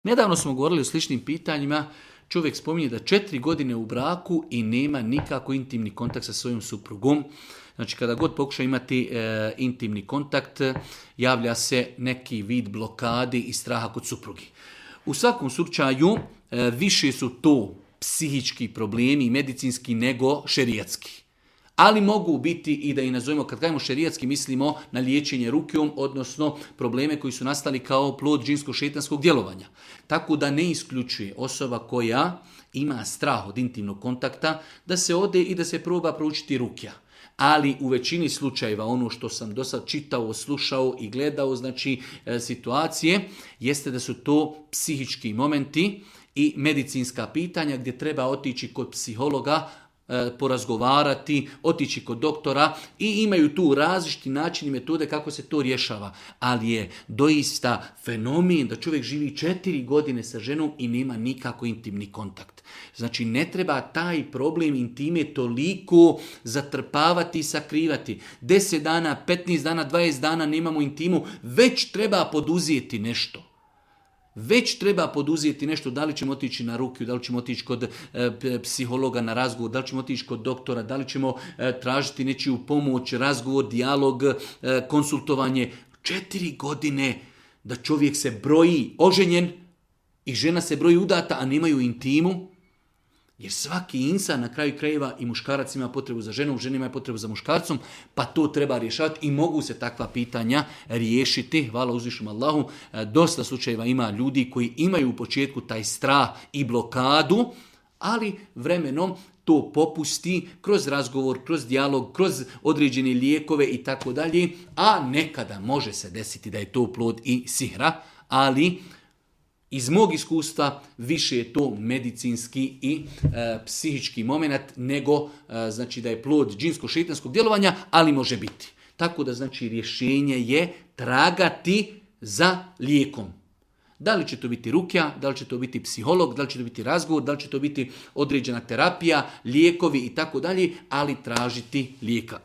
Nedavno smo govorili o sličnim pitanjima. Čovjek spominje da 4 godine u braku i nema nikako intimni kontakt sa svojom suprugom. Znači kada god pokuša imati intimni kontakt, javlja se neki vid blokadi i straha kod suprugi. U svakom slučaju više su to psihički problemi i medicinski nego šerijatski. Ali mogu biti i da ih nazovemo, kad kažemo šerijatski, mislimo na liječenje rukijom, odnosno probleme koji su nastali kao plod džinsko-šejtanskog djelovanja. Tako da ne isključuje osoba koja ima strah od intimnog kontakta da se ode i da se proba proučiti rukja. Ali u većini slučajeva, ono što sam do sad čitao, slušao i gledao, znači situacije, jeste da su to psihički momenti i medicinska pitanja gdje treba otići kod psihologa, porazgovarati, otići kod doktora i imaju tu različiti načini i metode kako se to rješava. Ali je doista fenomen da čovjek živi 4 godine sa ženom i nema nikako intimni kontakt. Znači ne treba taj problem intime toliko zatrpavati i sakrivati. 10 dana, 15 dana, 20 dana nemamo intimu, već treba poduzeti nešto. Već treba poduzeti nešto, da li ćemo otići na rukiju, da li ćemo otići kod psihologa na razgovor, da li ćemo otići kod doktora, da li ćemo tražiti nečiju pomoć, razgovor, dijalog, konsultovanje. 4 godine da čovjek se broji oženjen i žena se broji udata, a nemaju intimu. Jer svaki insan na kraju krajeva i muškarac ima potrebu za ženom, žena ima potrebu za muškarcom, pa to treba rješavati i mogu se takva pitanja riješiti. Hvala uzvišnom Allahu. Dosta slučajeva ima ljudi koji imaju u početku taj strah i blokadu, ali vremenom to popusti kroz razgovor, kroz dijalog, kroz određene lijekove i tako dalje, a nekada može se desiti da je to plod i sihra, ali iz mog iskustva više je to medicinski i psihički moment nego znači da je plod džinsko-šejtanskog djelovanja, ali može biti. Tako da znači rješenje je tragati za lijekom. Da li će to biti rukja, da li će to biti psiholog, da li će to biti razgovor, da li će to biti određena terapija, lijekovi i tako dalje, ali tražiti lijeka.